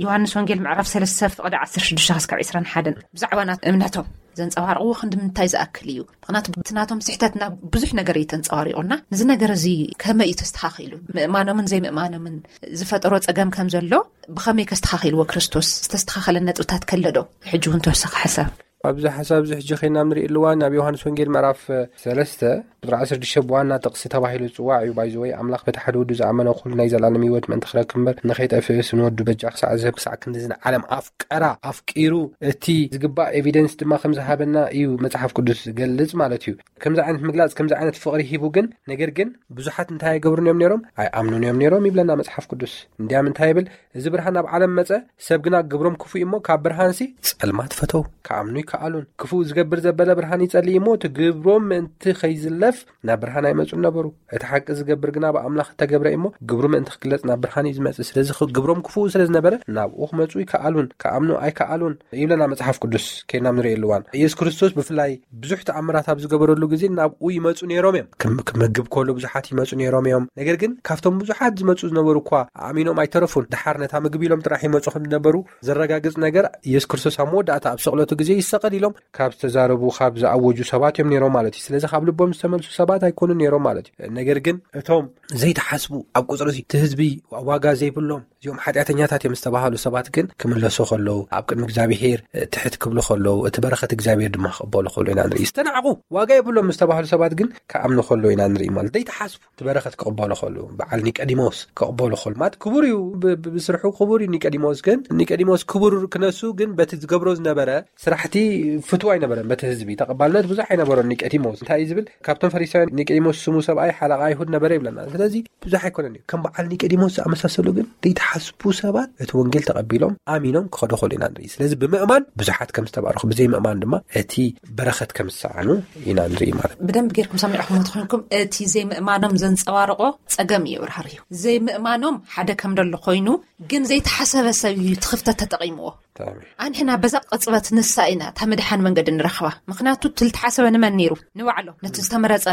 ዮሃንስ ወንጌል ምዕራፍ ሰለስተ ፍቕዲ ዓሰርተ ሽዱሽተ ክስካብ ዕስራን ሓደን ብዛዕባ ናት እምነቶም ዘንጸባርቕዎ ክንዲ ምንታይ ዝኣክል እዩ? ምኽንያቱ ብቲ ናቶም ስሕተትና ብዙሕ ነገር እዩ ተንጸባሪቑና። ንዚ ነገር እዚ ከመይ እዩ ተስተኻኺሉ? ምእማኖምን ዘይምእማኖምን ዝፈጠሮ ጸገም ከም ዘሎ ብኸመይ ከስተኻኺልዎ ክርስቶስ ዝተስተኻኸለ ነጥብታት ከለዶ? ሕጂ እውን ተወሳኺ ሓሳብ ኣብዚ ሓሳብ እዚ ሕጂ ኸይና ንርኢ ኣለዋ። ናብ ዮሃንስ ወንጌል ምዕራፍ ሰለስተ ቁጥሪ ዓሰርተ ሽዱሽተ ብዋና ጥቕሲ ተባሂሉ ዝጽዋዕ እዩ። ባይዘወይ ኣምላኽ በቲ ሓደ ወዱ ዝኣመነ ኩሉ ናይ ዘላለም ህይወት ምእንቲ ክረክብ እምበር ንኸይጠፍእስ ንወዱ በጃ ክሳዕ ዝህብ ክሳዕ ክንዲ ዝን ዓለም ኣፍቀራ ኣፍቂሩ እቲ ዝግባእ ኤቪደንስ ድማ ከም ዝሃበና እዩ መጽሓፍ ቅዱስ ዝገልጽ ማለት እዩ። ከምዚ ዓይነት ምግላጽ ከምዚ ዓይነት ፍቕሪ ሂቡ ግን ነገር ግን ብዙሓት እንታይ ኣይገብሩን እዮም ነይሮም? ኣይኣምኑን እዮም ነይሮም ይብለና መጽሓፍ ቅዱስ። እንዲያም እንታይ ይብል? እዚ ብርሃን ኣብ ዓለም መጸ፣ ሰብ ግና ግብሮም ክፉእ እሞ ካብ ብርሃንሲ ጸልማት ፈተው፣ ክኣምኑ ይከኣሉን። ክፉእ ዝገብር ዘበለ ብርሃን ይጸልእ እሞ እቲ ግብሮም ምእንቲ ከይዝለፍ ናብ ብርሃን ኣይመጹን ነበሩ። እቲ ሓቂ ዝገብር ግና ብኣምላኽ እተገብረ እሞ ግብሩ ምእንቲ ክግለጽ ናብ ብርሃን እዩ ዝመጽእ። ስለዚ ግብሮም ክፉእ ስለ ዝነበረ ናብኡ ክመጹ ይከኣሉን ክኣምኑ ኣይከኣሉን ይብለና መጽሓፍ ቅዱስ። ከይናም ንርኢ ኣለዋን ኢየሱስ ክርስቶስ ብፍላይ ብዙሕ ተኣምራት ኣብ ዝገበረሉ ግዜ ናብኡ ይመጹ ነይሮም እዮም። ክምግብ ከሎ ብዙሓት ይመጹ ነይሮም እዮም። ነገር ግን ካብቶም ብዙሓት ዝመጹ ዝነበሩ እኳ ኣእሚኖም ኣይተረፉን። ድሓር ነታ ምግቢ ኢሎም ጥራሕ ይመጹ ከም ዝነበሩ ዘረጋግጽ ነገር ኢየሱስ ክርስቶስ ኣብ መወዳእታ ኣብ ስቕለቱ ግዜ ይሰቐል ኢሎም ካብ ዝተዛረቡ ካብ ዝኣወጁ ሰባት እዮም ነይሮም ማለት እዩ። ስለዚ ካብ ልቦም ዝተመልሱ ሰባት ኣይኮኑን ነይሮም ማለት እዩ። ነገር ግን እቶም ዘይተሓስቡ ኣብ ቁጽሪ እቲ ህዝቢ ዋጋ ዘይብሎም እዚኦም ሓጢኣተኛታት እዮም ዝተባሃሉ ሰባት ግን ክምለሱ ከለዉ ኣብ ቅድሚ እግዚኣብሄር ትሕት ክብሉ ከለዉ እቲ በረኸት እግዚኣብሄር ድማ ክቕበሉ ከሎ ኢና ንርኢ። ዝተናዕቑ ዋጋ የብሎም ዝተባሃሉ ሰባት ግን ክኣምኑ ከሎ ኢና ንርኢ። ማለት ዘይተሓስቡ እቲ በረኸት ክቕበሉ ከሎ በዓል ኒቀዲሞስ ክቕበሉ ከሎ ማለት ክቡር እዩ። ብስርሑ ክቡር እዩ ኒቀዲሞስ። ግን ኒቀዲሞስ ክቡር ክነሱ ግን በቲ ዝገብሮ ዝነበረ ስራሕቲ ፍትው ኣይነበረን። በቲ ህዝቢ ተቐባልነት ብዙሕ ኣይነበሮን ኒቀዲሞስ። እንታይ እዩ ዝብል? ካብቶም ፈሪሳውያን ኒቀዲሞስ ስሙ ሰብኣይ ሓለቓ ኣይሁድ ነበረ ይብለና። ስለዚ ብዙሕ ኣይኮነን እዩ። ከም በዓል ኒቀዲሞስ ዝኣመሳሰሉ ግን ዘይተሓስቡ ሰባት እቲ ወንጌል ተቐቢሎም ኣሚኖም ክኸዱ ከሉ ኢና ንርኢ። ስለዚ ብምእማን ብዙሓት ከም ዝተባረኹ ብዘይምእማን ድማ እቲ በረኸት ከም ዝሰኣኑ ኢና ንርኢ ማለት። ብደንብ ጌርኩም ሰሚዕኹም ትኾንኩም። እቲ ዘይምእማኖም ዘንጸባርቆ ጸገም እዩ ብርሃር እዩ። ዘይምእማኖም ሓደ ከም ደሎ ኮይኑ ግን ዘይተሓሰበ ሰብ እዩ ትኽፍተት ተጠቒምዎ። ኣንሕና በዛ ቅጽበት ንሳ ኢና እታ ምድሓን መንገዲ ንረኽባ። ምኽንያቱ ትልተሓሰበ ንመን ነይሩ? ንባዕሎም ነቲ ዝተመረጸ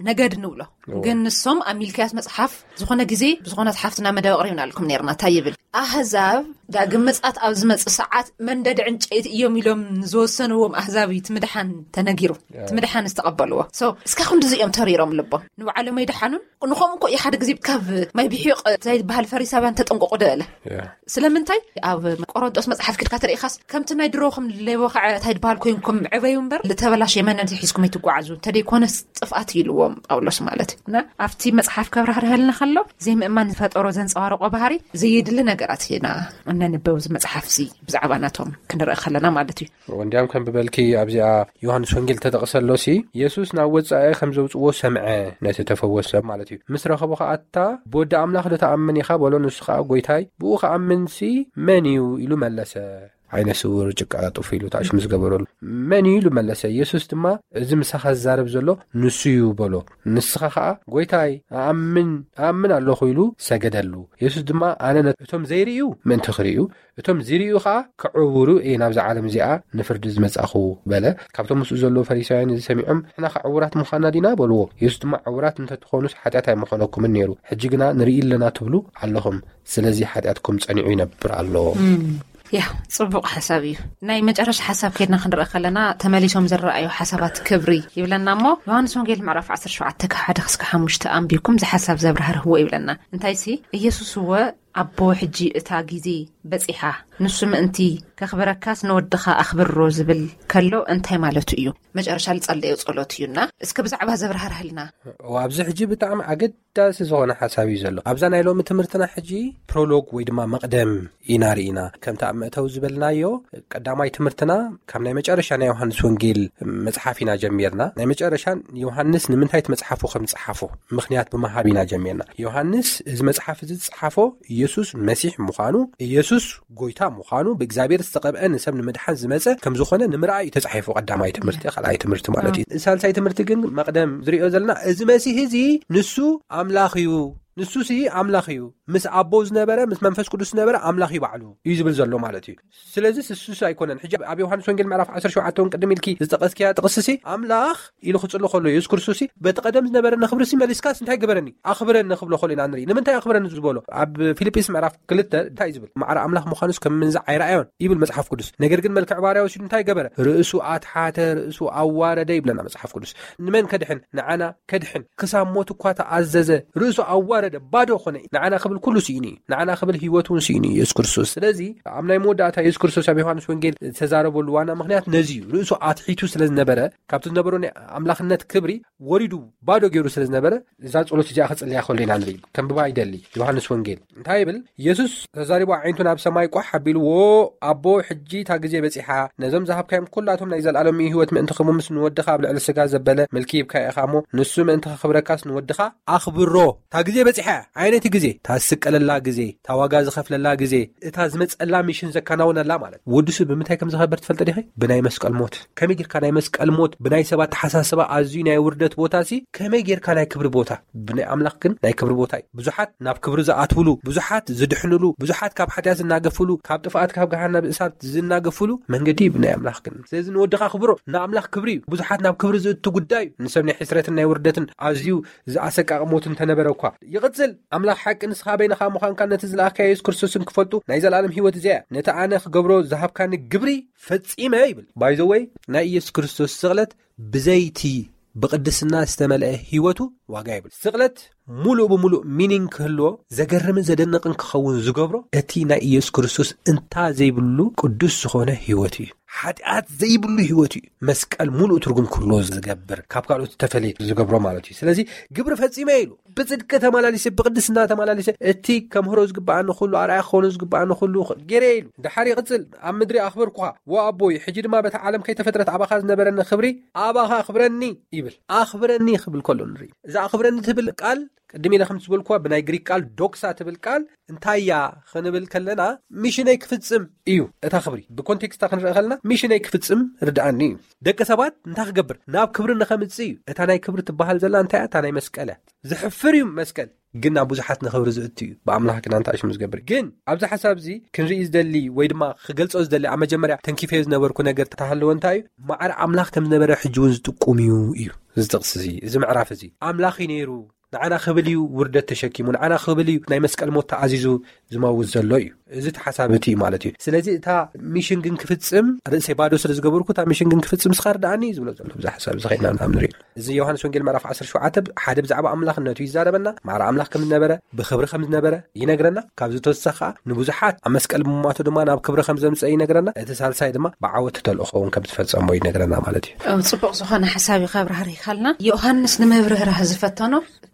ነገድ ንብሎ። ግን ንሶም ኣብ ሚልክያስ መጽሓፍ ዝኾነ ግዜ ብዝኾነት ሓፍትና መደብ ኣቕሪብና ኣልኩም ነርና እንታይ ይብል? ኣህዛብ ዳግም ምጻት ኣብ ዝመጽእ ሰዓት መንደድ ዕንጨይቲ እዮም ኢሎም ዝወሰንዎም ኣህዛብ እዩ ትምድሓን ተነጊሩ ትምድሓን ዝተቐበልዎ። So እስካ ክንድዚ እዮም ተሪሮም ልቦም ንባዕሎም ኣይደሓኑን። ንኸም እኮ እዩ ሓደ ግዜ ካብ ማይ ብሒቕ እንታይ ዝበሃል ፈሪሳውያን ተጠንቀቑ ደለ ስለምንታይ ኣብ ቆሮንጦስ መጽሓፍ ክድካ ተሪኢኻስ ከምቲ ናይ ድሮኹም ሌቦ ከዓ እንታይ ድበሃል ኮይንኩም ዕበዩ እምበር ልተበላሽ የመነን ሒዝኩም ኣይትጓዓዙ እንተደይኮነስ ጥፍኣት ኢልዎም ጳውሎስ ማለት እዩ። እና ኣብቲ መጽሓፍ ከብራህርሀልና ከሎ ዘይምእማን ዝፈጠሮ ዘንጸባርቆ ባህሪ ዘየድሊ ነገራት ኢና እነንበው እዚ መጽሓፍ እዚ ብዛዕባ ናቶም ክንርኢ ከለና ማለት እዩ። እንዲያም ከም ብበልኪ ኣብዚኣ ዮሃንስ ወንጌል ተጠቕሰ ኣሎ ሲ የሱስ ናብ ወጻኢ ከም ዘውጽዎ ሰምዐ። ነቲ ተፈወሰ ማለት እዩ። ምስ ረኸቦ ከኣታ ብወዲ ኣምላኽ ዶ ተኣምን ኢኻ በሎ። ንሱ ከኣ ጎይታይ ብኡ ከኣምንሲ መን እዩ ኢሉ መለሰ። ዓይነ ስውር ጭቃ ጡፍ ኢሉ ታሽ ምስ ገበረሉ መን እዩ ኢሉ መለሰ። የሱስ ድማ እዚ ምሳኻ ዝዛረብ ዘሎ ንሱ እዩ በሎ። ንስኻ ከኣ ጎይታይ ኣኣምን ኣኣምን ኣለኹ ኢሉ ሰገደሉ። የሱስ ድማ ኣነ ነቶም ዘይርእዩ ምእንቲ ክርእዩ እቶም ዝርእዩ ከኣ ክዕውሩ እየ ናብዛ ዓለም እዚኣ ንፍርዲ ዝመጻኹ በለ። ካብቶም ምስኡ ዘለዉ ፈሪሳውያን እዚ ሰሚዖም ንሕና ከዕውራት ምዃና ዲና በልዎ። የሱስ ድማ ዕውራት እንተትኾኑስ ሓጢኣት ኣይምኾነኩምን ነይሩ። ሕጂ ግና ንርኢ ኣለና ትብሉ ኣለኹም። ስለዚ ሓጢኣትኩም ጸኒዑ ይነብር ኣሎ። ያ ጽቡቕ ሓሳብ እዩ። ናይ መጨረሻ ሓሳብ ከድና ክንርኢ ከለና ተመሊሶም ዝረኣዩ ሓሳባት ክብሪ ይብለና እሞ ዮሃንስ ወንጌል ምዕራፍ ዓሰርተ ሸውዓተ ካብ ሓደ ክስካ ሓሙሽተ ኣንቢብኩም እዚ ሓሳብ ዘብራህርህዎ ይብለና። እንታይ ሲ ኢየሱስ እወ ኣቦ፣ ሕጂ እታ ግዜ በጺሓ፣ ንሱ ምእንቲ ከኽብረካስ ንወድኻ ኣኽብሮ ዝብል ከሎ እንታይ ማለቱ እዩ? መጨረሻ ዝጸለዮ ጸሎት እዩና፣ እስከ ብዛዕባ ዘብርሃርህልና። ኣብዚ ሕጂ ብጣዕሚ ኣገዳሲ ዝኾነ ሓሳብ እዩ ዘሎ። ኣብዛ ናይ ሎሚ ትምህርትና ሕጂ ፕሮሎግ ወይ ድማ መቕደም ኢና ርኢና። ከምቲ ኣብ መእተዊ ዝበልናዮ፣ ቀዳማይ ትምህርትና ካብ ናይ መጨረሻ ናይ ዮሃንስ ወንጌል መጽሓፍ ኢና ጀሚርና። ናይ መጨረሻ ዮሃንስ ንምንታይ እቲ መጽሓፉ ከም ዝጸሓፎ ምኽንያት ብምሃብ ኢና ጀሚርና። ዮሃንስ እዚ መጽሓፍ እዚ ዝጸሓፎ ኢየሱስ መሲሕ ምዃኑ፣ ኢየሱስ ጎይታ ምዃኑ፣ ብእግዚኣብሔር ዝተቐብአ ንሰብ ንምድሓን ዝመጸ ከም ዝኾነ ንምርኣይ እዩ ተጻሒፉ። ቀዳማይ ትምህርቲ፣ ካልኣይ ትምህርቲ ማለት እዩ። ሳልሳይ ትምህርቲ ግን መቕደም ዝሪኦ ዘለና፣ እዚ መሲህ እዚ ንሱ ኣምላኽ እዩ። ንሱሲ ኣምላኽ እዩ። ምስ ኣቦ ዝነበረ፣ ምስ መንፈስ ቅዱስ ዝነበረ ኣምላኽ እዩ ባዕሉ እዩ ዝብል ዘሎ ማለት እዩ። ስለዚ ንሱስ ኣይኮነን። ሕጂ ኣብ ዮሃንስ ወንጌል ምዕራፍ ዓሰርተ ሸውዓተ እውን ቅድም ኢልኪ ዝጠቐስክያ ጥቕስሲ፣ ኣምላኽ ኢሉ ክጽሎ ከሎ፣ ኢየሱስ ክርስቶስሲ በቲ ቀደም ዝነበረኒ ክብርሲ መሊስካስ እንታይ ግበረኒ? ኣኽብረኒ ክብሎ ከሎ ኢና ንርኢ። ንምንታይ ኣኽብረኒ ዝበሎ? ኣብ ፊልጵስ ምዕራፍ ክልተ እንታይ ዝብል? ማዕረ ኣምላኽ ምዃኑስ ከም ምንዛዕ ኣይረኣዮን ይብል መጽሓፍ ቅዱስ። ነገር ግን መልክዕ ባርያ ወሲዱ እንታይ ገበረ? ርእሱ ኣትሓተ፣ ርእሱ ኣዋረደ ይብለና መጽሓፍ ቅዱስ። ንመን ከድሕን? ንዓና ከድሕን። ክሳብ ሞት እኳ ተኣዘዘ፣ ርእሱ ኣዋረደ፣ ባዶ ኾነ። ንዓና ክብል ኩሉ ስኢኑ እዩ። ንዓና ክብል ህይወቱ እውን ስኢኑ እዩ ኢየሱስ ክርስቶስ። ስለዚ ኣብ ናይ መወዳእታ ኢየሱስ ክርስቶስ ኣብ ዮሃንስ ወንጌል ዝተዛረበሉ ዋና ምኽንያት ነዚ እዩ። ርእሱ ኣትሒቱ ስለ ዝነበረ፣ ካብቲ ዝነበሮ ናይ ኣምላኽነት ክብሪ ወሪዱ ባዶ ገይሩ ስለ ዝነበረ፣ እዛ ጸሎት እዚኣ ክጽልያ ከሎ ኢና ንርኢ። ከንብባ ይደሊ። ዮሃንስ ወንጌል እንታይ ይብል? ኢየሱስ ተዛሪቡ ኣዒንቱ ናብ ሰማይ ቋሕ ኣቢሉ፣ "ዎ ኣቦ፣ ሕጂ እታ ግዜ በጺሓ፣ ነዞም ዝሃብካዮም ኩላቶም ናይ ዘለኣለም ህይወት ምእንቲ ክህቦምስ ንወድኻ ኣብ ልዕሊ ስጋ ዘበለ ምልኪ ሂብካዮ ኢኻ እሞ፣ ንሱ ምእንቲ ከኽብረካስ ንወድኻ ኣኽብሮ። እታ ግዜ በጺሓ እያ። ዓይነይቲ ግዜ? እታ ዝስቀለላ ግዜ፣ እታ ዋጋ ዝኸፍለላ ግዜ፣ እታ ዝመጸላ ሚሽን ዘከናውነላ ማለት። ወዲ ሰብ ብምንታይ ከም ዝኸበር ትፈልጠ ዲኺ? ብናይ መስቀል ሞት። ከመይ ጌርካ ናይ መስቀል ሞት፣ ብናይ ሰባት ተሓሳስባ ኣዝዩ ናይ ውርደት ቦታ ሲ፣ ከመይ ጌርካ ናይ ክብሪ ቦታ?" ብናይ ኣምላኽ ግን ናይ ክብሪ ቦታ እዩ። ብዙሓት ናብ ክብሪ ዝኣትውሉ፣ ብዙሓት ዝድሕንሉ፣ ብዙሓት ካብ ሓጢኣት ዝናገፍሉ፣ ካብ ጥፍኣት ካብ ገሃነብ እሳት ዝናገፍሉ መንገዲ እዩ ብናይ ኣምላኽ ግን። ስለዚ ንወድኻ ክብሮ፣ ንኣምላኽ ክብሪ እዩ። ብዙሓት ናብ ክብሪ ዝእቱ ጉዳይ እዩ። ንሰብ ናይ ሕስረትን ናይ ውርደትን ኣዝዩ ዝኣሰቃቂ ሞት እንተነበረ እኳ። ይቕጽል፣ ኣምላኽ ሓቂ ንስኻ በይንኻ ምዃንካ ነቲ ዝለኣኽካ የሱስ ክርስቶስን ክፈልጡ ናይ ዘለኣለም ህይወት እዚኣ እያ። ነቲ ኣነ ክገብሮ ዝሃብካኒ ግብሪ ፈጺመ ይብል። ባይዘወይ ናይ ኢየሱስ ክርስቶስ ስቕለት ብዘይቲ ብቅድስና ዝተመልአ ህይወቱ ዋጋ ይብል። ስቕለት ሙሉእ ብሙሉእ ሚኒንግ ክህልዎ ዘገርምን ዘደንቕን ክኸውን ዝገብሮ እቲ ናይ ኢየሱስ ክርስቶስ እንታ ዘይብሉ ቅዱስ ዝኾነ ህይወት እዩ። ሓጢኣት ዘይብሉ ህይወት እዩ። መስቀል ሙሉእ ትርጉም ክህልዎ ዝገብር፣ ካብ ካልኦት ዝተፈለየ ዝገብሮ ማለት እዩ። ስለዚ ግብሪ ፈጺመ ኢሉ፣ ብጽድቂ ተመላሊሰ፣ ብቅድስና ተመላሊሰ፣ እቲ ከምህሮ ዝግባኣኒ ኩሉ፣ ኣርኣያ ክኾኑ ዝግባኣኒ ኩሉ ገይረ ኢሉ። ድሓር ይቕጽል፣ ኣብ ምድሪ ኣኽበርኩኻ፣ ዎ ኣቦይ፣ ሕጂ ድማ በታ ዓለም ከይተፈጥረት ኣባኻ ዝነበረኒ ክብሪ ኣባኻ ኣኽብረኒ ይብል። ኣኽብረኒ ክብል ከሎ ንርኢ። እዛ ኣኽብረኒ ትብል ቃል ቅድም ኢለ ከም ዝበልኩዋ ብናይ ግሪክ ቃል ዶክሳ ትብል ቃል እንታይ እያ ክንብል ከለና፣ ሚሽነይ ክፍጽም እዩ። እታ ክብሪ ብኮንቴክስታ ክንርኢ ከለና ሚሽነይ ክፍጽም ርድኣኒ እዩ። ደቂ ሰባት እንታይ ክገብር? ናብ ክብሪ ንኸምጽእ እዩ። እታ ናይ ክብሪ ትበሃል ዘላ እንታይ እያ? እታ ናይ መስቀል እያ። ዝሕፍር እዩ መስቀል፣ ግን ናብ ብዙሓት ንኽብሪ ዝእቱ እዩ። ብኣምላኽ ግን ኣንታ ሽም ዝገብር። ግን ኣብዚ ሓሳብ እዚ ክንርኢ ዝደሊ ወይ ድማ ክገልጾ ዝደሊ፣ ኣብ መጀመርያ ተንኪፈዮ ዝነበርኩ ነገር ተሃለወ እንታይ እዩ? ማዕረ ኣምላኽ ከም ዝነበረ ሕጂ እውን ዝጥቁም እዩ እዩ። እዚ ጥቕሲ እዚ፣ እዚ ምዕራፍ እዚ ኣምላኽ እዩ ነይሩ። ንዓና ክብል እዩ ውርደት ተሸኪሙ፣ ንዓና ክብል እዩ ናይ መስቀል ሞት ተኣዚዙ ዝመውት ዘሎ እዩ። እዚ ተሓሳቢ እቲ እዩ ማለት እዩ። ስለዚ እታ ሚሽን ግን ክፍጽም፣ ርእሰይ ባዶ ስለ ዝገበርኩ፣ እታ ሚሽን ግን ክፍጽም እስኻ ርድኣኒ እዩ ዝብሎ ዘሎ። ብዛ ሓሳብ እዚ ኸይድና ናብ ንርኢ። እዚ ዮሃንስ ወንጌል ምዕራፍ ዓሰርተ ሸውዓተ ሓደ ብዛዕባ ኣምላኽነቱ ይዛረበና፣ ማዕረ ኣምላኽ ከም ዝነበረ፣ ብኽብሪ ከም ዝነበረ ይነግረና። ካብዚ ተወሳኺ ኸዓ ንብዙሓት ኣብ መስቀል ብምሟቱ ድማ ናብ ክብሪ ከም ዘምጸ ይነግረና። እቲ ሳልሳይ ድማ ብዓወት ተልእኾ እውን ከም ዝፈጸሞ ይነግረና ማለት እዩ። ኣብ ጽቡቕ ዝኾነ ሓሳብ እዩ ከብርሃር ይካልና። ዮሃንስ ንምብርህራህ ዝፈተኖ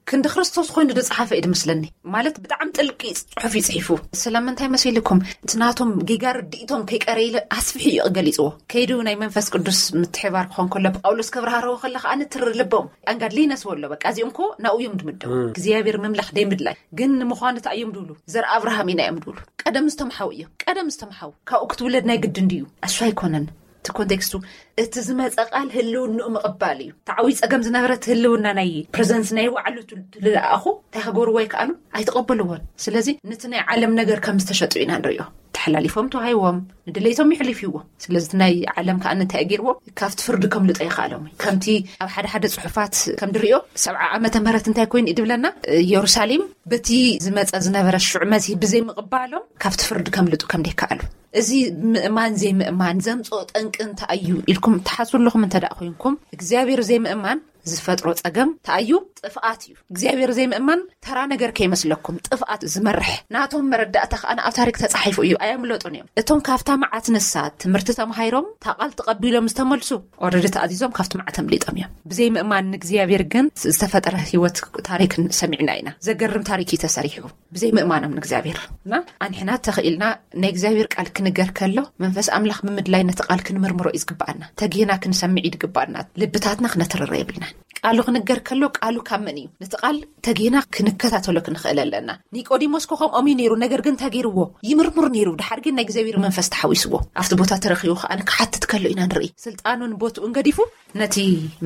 ክንዲ ክርስቶስ ኮይኑ ዝጸሓፈ እዩ ዝመስለኒ። ማለት ብጣዕሚ ጥልቂ ጽሑፍ እዩ ጽሒፉ። ስለምንታይ መሲልኩም? እቲ ናቶም ጌጋ ርድኢቶም ከይቀረይለ ኣስፊሑ እዩ ገሊጽዎ። ከይዱ ናይ መንፈስ ቅዱስ ምትሕባር ክኾን ከሎ፣ ጳውሎስ ከብርሃርዎ ከሎ ከኣ ንትሪ ልቦም። ኣንጋድሊነስ ወሎ፣ በቃ እዚኦም እኮ ናብኡ እዮም ድምደቡ። እግዚኣብሔር ምምላኽ ደይምድላይ። ግን ንምዃኑ እንታይ እዮም ድብሉ? ዘር ኣብርሃም ኢና እዮም ድብሉ። ቀደም ዝተምሓው እዮም። ቀደም ዝተምሓው። ካብኡ ክትውለድ ናይ ግድን ድዩ? እሱ ኣይኮነን። እቲ ኮንቴክስቱ፣ እቲ ዝመጸ ቃል ህልውንኡ ምቕባል እዩ። ተዓዊ ጸገም ዝነበረ እቲ ህልውና ናይ ፕሬዘንስ ናይ ባዕሉ ቱ-፣ ትልኣኹ እንታይ ክገብርዎ ኣይከኣሉን? ኣይተቐበልዎን። ስለዚ ነቲ ናይ ዓለም ነገር ከም ዝተሸጡ ኢና ንሪኦ። ተሓላሊፎም ተዋሂዎም፣ ንድሌቶም ይሕሊፍዎም። ስለዚ እቲ ናይ ዓለም ከኣ እንታይ ገይርዎ? ካብቲ ፍርዲ ከምልጦ ይኸኣሎም እዩ። ከምቲ ኣብ ሓደ ሓደ ጽሑፋት ከም ድሪኦ፣ ሰብዓ ዓመተ ምህረት እንታይ ኮይኑ እዩ ድብለና? ኢየሩሳሌም በቲ ዝመጸ ዝነበረ ሽዑ መሲህ ብዘይምቕባሎም ካብቲ ፍርዲ ከምልጡ ከም ደይከኣሉ። እዚ ምእማን ዘይምእማን ዘምጽኦ ጠንቂ እንታይ እዩ ኢልኩም ትሓስቡ ኣለኹም እንተ ደኣ ኮይንኩም፣ እግዚኣብሔር ዘይምእማን ዝፈጥሮ ጸገም እንታይ እዩ? ጥፍኣት እዩ። እግዚኣብሔር ዘይምእማን ተራ ነገር ከይመስለኩም፣ ጥፍኣት ዝመርሕ ናቶም መረዳእታ ከኣ ኣብ ታሪክ ተጻሒፉ እዩ። ኣየምለጡን እዮም። እቶም ካብታ መዓት ንሳ ትምህርቲ ተማሂሮም፣ እታ ቃል ተቐቢሎም ዝተመልሱ፣ ኦረዲ ተኣዚዞም ካብቲ መዓት ኣምሊጦም እዮም። ብዘይምእማን ንእግዚኣብሔር ግን ዝተፈጠረ ህይወት ታሪክ ሰሚዕና ኢና። ዘገርም ታሪክ እዩ ተሰሪሑ። ብዘይምእማኖም ንእግዚኣብሔር እና ኣንሕና ተኽኢልና ናይ እግዚኣብሔር ቃል ክንገር ከሎ መንፈስ ኣምላኽ ብምድላይ ነቲ ቃል ክንምርምሮ እዩ ዝግብኣና። ተጊህና ክንሰምዕ እዩ ዝግብኣና። ልብታትና ክነትርረ የብልናን። ቃሉ ክንገር ከሎ ቃሉ ካብ መን እዩ? ነቲ ቃል ተጊህና ክንከታተሎ ክንኽእል ኣለና። ኒቆዲሞስ ኮ ከምኦም እዩ ነይሩ፣ ነገር ግን እንታይ ገይርዎ? ይምርምር ነይሩ። ድሓር ግን ናይ እግዚኣብሔር መንፈስ ተሓዊስዎ። ኣብቲ ቦታ ተረኺቡ ከኣ ክሓትት ከሎ ኢና ንርኢ። ስልጣኑን ቦትኡን ገዲፉ ነቲ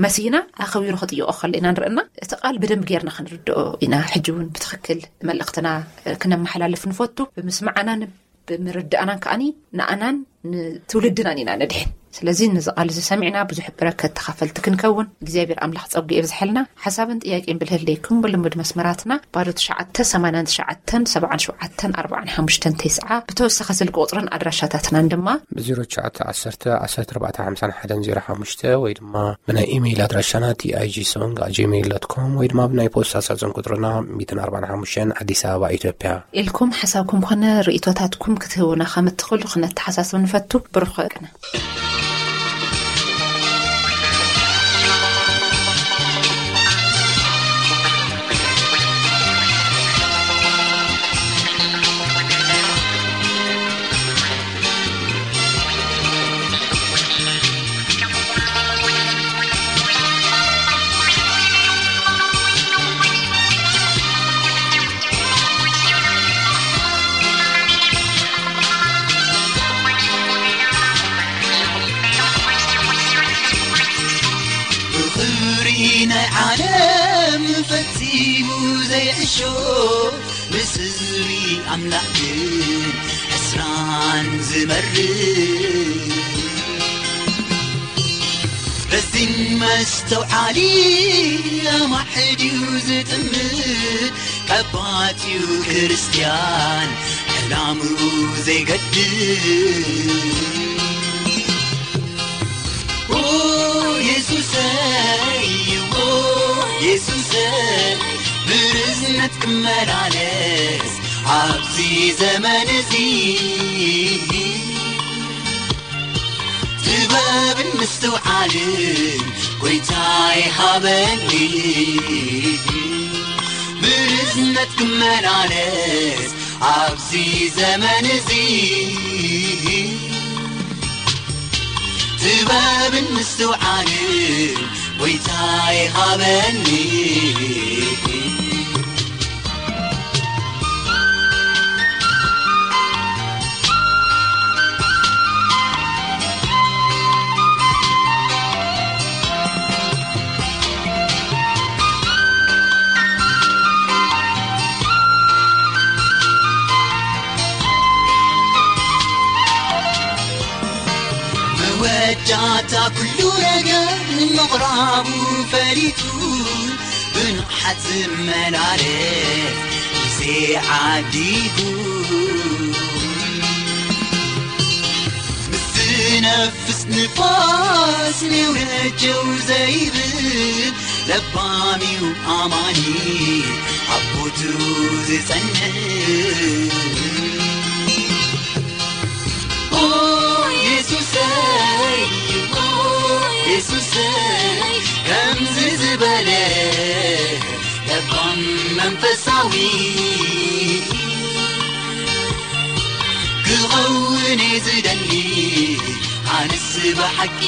መሲህና ኣኸቢሩ ክጥይቆ ከሎ ኢና ንርእና። እቲ ቃል ብደንብ ጌርና ክንርድኦ ኢና። ሕጂ እውን ብትኽክል መልእኽትና ክነመሓላልፍ ንፈቱ። ብምስማዓናን ብምርዳእናን ከኣኒ ንኣናን ንትውልድናን ኢና ነድሕን። ስለዚ ነዚ ቃል እዚ ሰሚዕና ብዙሕ በረከት ተኻፈልቲ ክንከውን እግዚኣብሔር ኣምላኽ ጸጉ የብዝሐልና። ሓሳብን ጥያቄን ብልህለይኩም ብልሙድ መስመራትና ባዶ ትሽዓተ ሰማንያን ትሽዓተን ሰብዓን ሸውዓተን ኣርባዓን ሓሙሽተን ተስዓ፣ ብተወሳኺ ስልኪ ቁጽርን ኣድራሻታትናን ድማ ብ ዜሮ ትሽዓተ ዓሰርተ ዓሰርተ ኣርባዕተ ሓምሳን ሓደን ዜሮ ሓሙሽተ ወይ ድማ ብናይ ኢሜይል ኣድራሻና ቲ ኣይ ጂ ሶንግ ኣት ጂሜይል ዶት ኮም ወይ ድማ ብናይ ፖስታ ሳጥን ቁጽርና ሚእትን ኣርባዓን ሓሙሽተን ኣዲስ ኣበባ ኢትዮጵያ። ኢልኩም ሓሳብኩም ኮነ ርእይቶታትኩም ክትህቡና ከም እትኽእሉ ክነተሓሳስብ ንፈቱ። ብሩኽ ቅነ። ብኽብሪ ናይ ዓለም ፈጺሙ ዘይዕሾ፣ ምስ ህዝቢ ኣምላኽ ግን ዕስራን ዝመርሕ። ረዚን መስተውዓሊ ኣማሕድዩ ዝጥምት፣ ቀባጺኡ ክርስትያን ዕላምኡ ዘይገድፍ። ኦ የሱሰይ፣ ኦ የሱሰይ፣ ብርዝነት ክመላለስ ኣብዚ ዘመን እዚ። ጥበብን ምስትውዓልን ጎይታይ ሃበኒ፣ ብርዝነት ክመላለስ ኣብዚ ዘመን እዚ። ጥበብን ምስትውዓልን ጎይታይ ሃበኒ። መወዳእታ ኩሉ ነገር ምቕራቡ ፈሊጡ፣ ብንቕሓት ዝመላለስ ግዜ ዓዲጉ። ምስ ዝነፍስ ንፋስ ኔው ነጀው ዘይብል፣ ለባም እዩ ኣማኒ ኣብ ቦትኡ ዝጸንዕ። ኦ የሱሰይ፣ ኦ የሱሰይ፣ ከምዚ ዝበለ ለባም መንፈሳዊ ክኸውን እየ ዝደሊ፣ ኣነስ ብሓቂ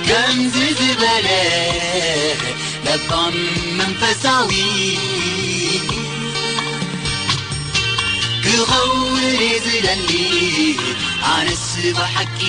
ከምዚ ዝበለ ለባም መንፈሳዊ ክኸውን እየ ዝደሊ፣ ኣነስ ብሓቂ።